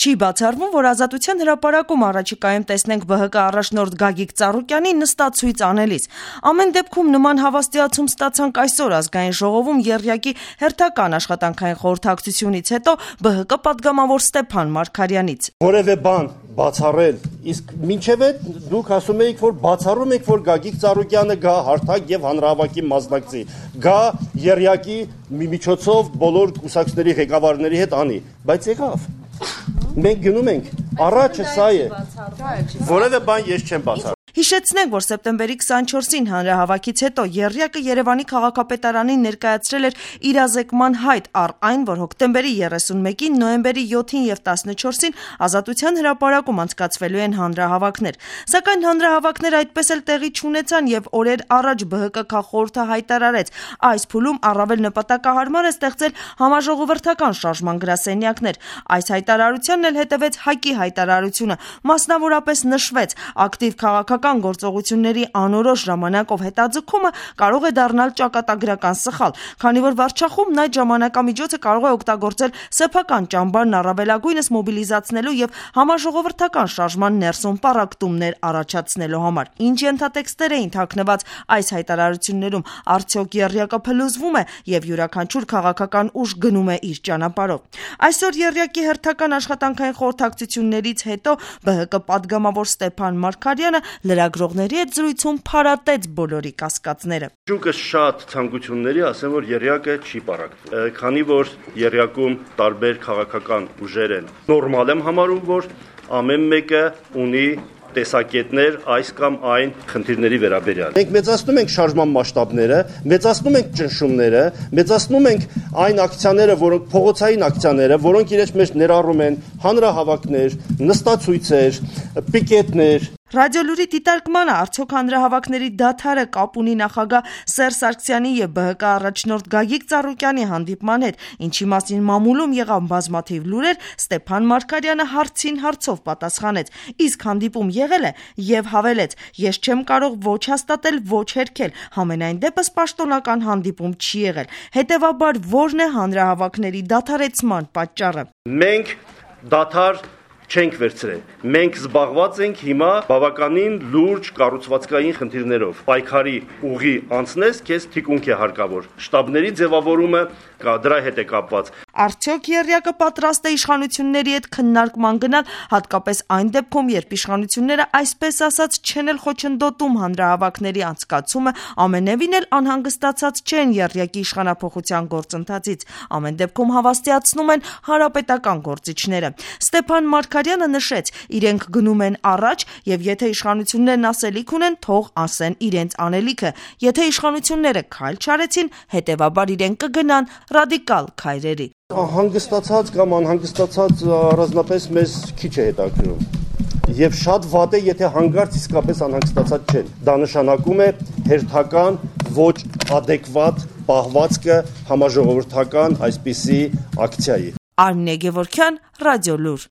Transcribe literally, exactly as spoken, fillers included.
Չի բացառվում, որ Ազատության հրապարակում առաջիկայում տեսնենք ԲՀԿ առաջնորդ Գագիկ Ծառուկյանի նստացույց անելիս։ Ամեն դեպքում նման հավաստիացում ստացանք այսօր Ազգային ժողովում եռյակի հերթական աշխատանքային խորհրդակցությունից հետո ԲՀԿ պատգամավոր Ստեփան Մարգարյանից։ Որևէ բան բացառել, իսկ մինչև այդ դուք ասում եք, որ բացառում եք, որ Գագիկ Ծառուկյանը գա հարթակ եւ հանրահավաքի մասնակցի, գա եռյակի միջոցով բոլոր կուսակցությունների ղեկավարների հետ անի, բայց եղավ։ Մենք գնում ենք, առաջը սա է, որևէ բան ես չեմ բացառում։ Հիշեցնենք, որ սեպտեմբերի քսանչորսին հանրահավաքից հետո եռյակը Երևանի քաղաքապետարանին ներկայացրել էր իրազեկման հայտ առ այն, որ հոկտեմբերի երեսունմեկին, նոյեմբերի յոթին եւ տասնչորսին Ազատության հրապարակում անցկացվելու են հանրահավաքներ։ Սակայն հանրահավաքները այդպես էլ տեղի չունեցան եւ օրեր առաջ ԲՀԿ քաղխորհուրդը հայտարարեց, այս փուլում առավել նպատակահարմար է ստեղծել համաժողովրդական շարժման գրասենյակներ։ Այս հայտարարությանն էլ հետևեց ՀԱԿ-ի հայտարարությունը, մասնավորապես նշվեց ակտիվ քաղաքական գործողությունների անորոշ ժամանակով հետաձգումը կարող է դառնալ ճակատագրական սխալ, քանի որ վարչախումբն այդ ժամանակամիջոցը կարող է օգտագործել սեփական ճամբարն առավելագույնս մոբիլիզացնելու եւ համաժողովրդական շարժման ներսում պառակտումներ առաջացնելու համար։ Ինչ ենթատեքստեր էին թաքնված այս հայտարարություններում, արդյոք եռյակը փլուզվում է եւ յուրաքանչյուր քաղաքական ուժ գնում է իր ճանապարհով։ Այսօր եռյակի հերթական աշխատանքային խորհրդակցություններից հետո ԲՀԿ պատգամավոր Ստեփան Մարգարյանը լրագրողների հետ զրույցում փարատեց բոլորի կասկածները։ Շուկը շատ ցանկությունների, ասեմ, որ եռյակը չի պառակտվում, քանի որ եռյակում տարբեր քաղաքական ուժեր են։ Նորմալ եմ համարում, որ ամեն մեկը ունի տեսակետներ այս կամ այն խնդիրների վերաբերյալ։ Մենք մեծացնում ենք շարժման մասշտաբները, մեծացնում ենք ճնշումները, մեծացնում ենք այն ակցիաները, որոնք փողոցային ակցիաները, որոնք իրենց մեջ ներառում են հանրահավաքներ, նստացույցեր, պիկետներ։ Ռադիոլուրի դիտարկմանը արդյոք հանրահավաքների դադարը կապ ունի նախագահ Սերժ Սարգսյանի եւ ԲՀԿ առաջնորդ Գագիկ Ծառուկյանի հանդիպման հետ, ինչի մասին մամուլում եղան բազմաթիվ լուրեր, Ստեփան Մարգարյանը հարցին հարցով պատասխանեց։ Իսկ հանդիպում եղել է եւ հավելեց. ես չեմ կարող ոչ հաստատել, ոչ հերքել, համենայն դեպս պաշտոնական հանդիպում չի եղել։ Հետեւաբար ո՞րն է հանրահավաքների դադարեցման պատճառը։ Մենք դադար չենք վերցրել։ Մենք զբաղված ենք հիմա բավականին լուրջ կառուցվածքային խնդիրներով։ Պայքարի ուղի անցնես, քեզ թիկունք է հարկավոր։ Շտաբների ձևավորումը կա, դրա հետ է կապված։ Արդյոք եռյակը պատրաստ է իշխանությունների հետ քննարկման գնալ, հատկապես այն դեպքում, երբ իշխանությունները այսպես ասած չեն էլ խոչընդոտում հանրահավաքների անցկացումը, ամենևին էլ անհանգստացած չեն եռյակի իշխանափոխության գործընթացից։ Ամեն դեպքում հավաստիացնում են հանրապետական գործիչները։ Ստեփան Մարգարյանը նշեց, իրենք գնում են առաջ եւ եթե իշխանություններն ասելիք ունեն, թող ասեն իրենց անելիքը։ Եթե իշխանությունները քայլ չարեցին, հետեւաբար իրենք կգնան ռադիկալ քայլերի։ Հանգստացած կամ անհանգստացած առանձնապես մեզ քիչ է հետաքրքրում։ Եվ շատ վատ է, եթե հանգարց իսկապես անհանգստացած չեն։ Դա նշանակում է հերթական ոչ adekvat պահվածքը համաժողովրդական այսպիսի ակցիայի։ Արմինե Գևորգյան, Ռադիոլուր։